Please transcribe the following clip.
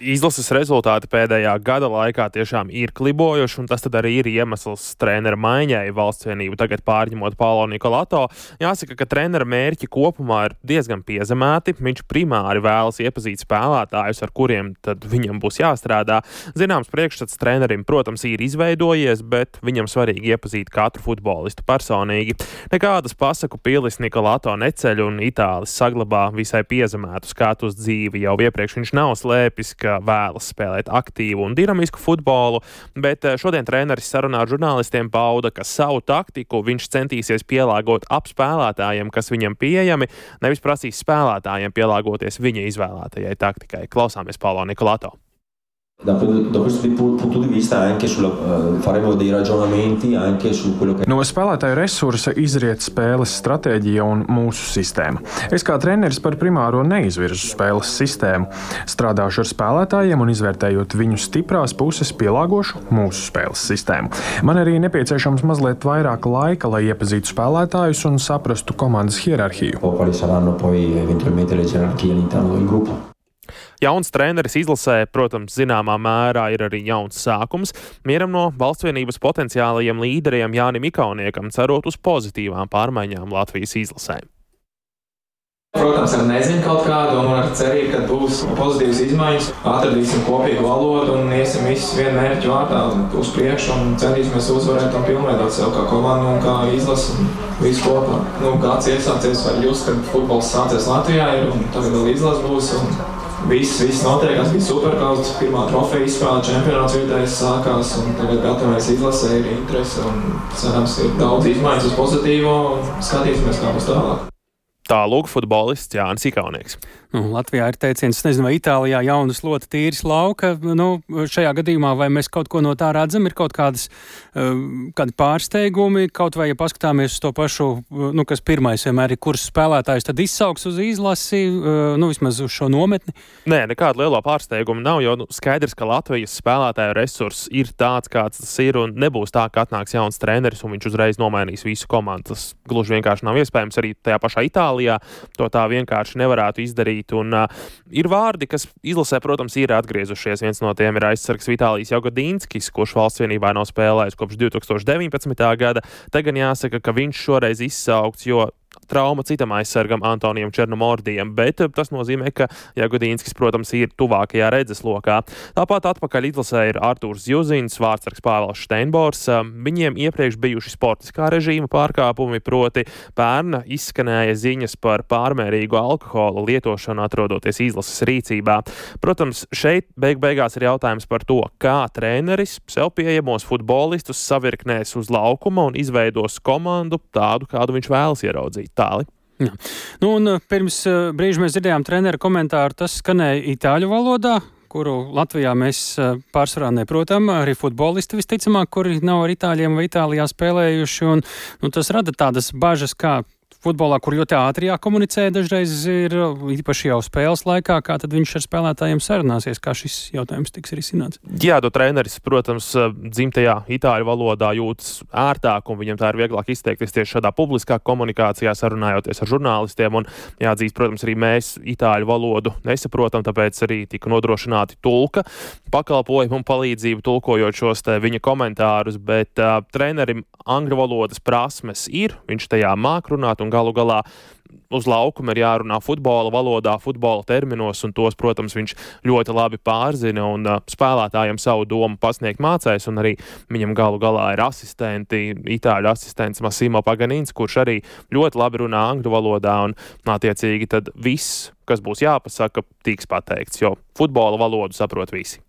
Izlases rezultāti pēdējā gada laikā tiešām ir klibojuši, un tas tad arī ir iemesls trenera maiņai valsts vienību tagad pārņemot Paulo Nikolato. Jāsaka, ka trenera mērķi kopumā ir diezgan piezemēti. Viņš primāri vēlas iepazīt spēlētājus, ar kuriem tad viņam būs jāstrādā. Zināms, priekšstats trenerim, protams, ir izveidojies, bet viņam svarīgi iepazīt katru futbolistu personīgi. Nekādas pasaku pilis Nikolato neceļ, un itālis saglabā visai piezemētu skatu uz dzīvi. Jau iepriekš viņš nav slēpis, ka vēlas spēlēt aktīvu un dinamisku futbolu, bet šodien treneris sarunā ar žurnālistiem pauda, ka savu taktiku viņš centīsies pielāgot ap spēlētājiem, kas viņam pieejami, nevis prasīs spēlētājiem pielāgoties viņa izvēlētajai taktikai. Klausāmies Paulo Nikolato. Da questo punto di vista anche faremo dei ragionamenti anche su quello che... No spēlētāju resursa izriet spēles stratēģija un mūsu sistēma. Es kā treneris par primāro neizvirzu spēles sistēmu. Strādāšu ar spēlētājiem un izvērtējot viņu stiprās puses pielāgošu mūsu spēles sistēmu. Man arī nepieciešams mazliet vairāk laika, lai iepazītu spēlētājus un saprastu komandas hierarhiju. Quali saranno poi eventualmente le gerarchie all'interno del gruppo. Jauns treneris izlasē, protams, zināmā mērā ir arī jauns sākums. Mieram no valsts vienības potenciālajiem līderiem Jānim Ikauniekam, cerot uz pozitīvām pārmaiņām Latvijas izlasē. Protams, ar nezinu kaut kādu un ar cerību, ka būs pozitīvas izmaiņas, atradīsim kopīgu valodu un iesim visus vienu mērķu vārdā uz priekšu un centīsimies uzvarēt un pilnveidot sev kā komandu un kā izlasi un visu kopā. Kāds iesācies var just, kad futbols sācies Latvijā ir un tagad vēl izlas būs un viss notiekās, bija superkauts, pirmā trofeja izspēle, čempionāts vietējais sākās un tagad gatavojas izlasē, ir interese un cerams ir daudz izmaiņas uz pozitīvo un skatīsimies, kā būs tālāk. Tā lūk futbolists Jānis Ikaunieks. Latvijā ir teiciens, es nezinu, vai Itālijā jauna slota tīras lauka. Šajā gadījumā vai mēs kaut ko no tā redzam, ir kaut kādi pārsteigumi, kaut vai, ja paskatāmies uz to pašu, kas pirmais vienmēr ir, kurš spēlētājs tad izsauks uz izlasi, vismaz uz šo nometni? Nē, nekāda liela pārsteiguma nav, jo skaidrs, ka Latvijas spēlētāju resurss ir tāds, kāds tas ir, un nebūs tā, ka atnāks jauns treneris un viņš uzreiz nomainīs visu komandu. Tas gluži vienkārši nav iespējams arī tajā pašā Itālijā. To tā vienkārši nevarētu izdarīt. Un ir vārdi, kas izlasē, protams, ir atgriezušies. Viens no tiem ir aizsargs Vitālijs Jogodīnskis, kurš valsts vienībā nav spēlējis kopš 2019. gada. Te gan jāsaka, ka viņš šoreiz izsaukts, jo trauma citam aizsargam Antonijam Černomordijam, bet tas nozīmē, ka Jagodīnskis, protams, ir tuvākajā redzeslokā. Tāpat atpakaļ izlasē ir Artūrs Zjuzins, vārdsargs Pāvels Šteinbors. Viņiem iepriekš bijuši sportiskā režīma pārkāpumi, proti pērn izskanēja ziņas par pārmērīgu alkohola lietošanu atrodoties izlases rīcībā. Protams, šeit beigās ir jautājums par to, kā treneris sev pieejamos futbolistus savirknēs uz laukuma un izveidos komandu tādu, kādu viņš vēlas ieraudzīt. Tāli. Jā. Un pirms brīža mēs dzirdējām trenera komentāru, tas skanēja itāļu valodā, kuru Latvijā mēs pārsvarā neprotam, arī futbolisti visticamāk, kuri nav ar itāļiem vai Itālijā spēlējuši, un tas rada tādas bažas, kā futbolā, kur ļoti ātri jākomunicē, dažreiz ir īpaši jau spēles laikā, kā tad viņš ar spēlētājiem sarunāsies, kā šis jautājums tiks risināts. Jā, treneris, protams, dzimtajā itāļu valodā jūtas ērtāk, un viņam tā ir vieglāk izteikties tieši šādā publiskā komunikācijā, sarunājoties ar žurnālistiem, un jāatzīst, protams, arī mēs itāļu valodu nesaprotam, tāpēc arī tika nodrošināti tulka pakalpojumu un palīdzību tulkojot šos te viņa komentārus, bet trenerim angļu valodas prasmes ir, viņš tajā māk runāt, un galu galā uz laukuma ir jārunā futbola valodā, futbola terminos, un tos, protams, viņš ļoti labi pārzina un spēlētājiem savu domu pasniegt mācēs, un arī viņam galu galā ir itāļu asistents Massimo Paganins, kurš arī ļoti labi runā angļu valodā, un attiecīgi tad viss, kas būs jāpasaka, tiks pateikts, jo futbola valodu saprot visi.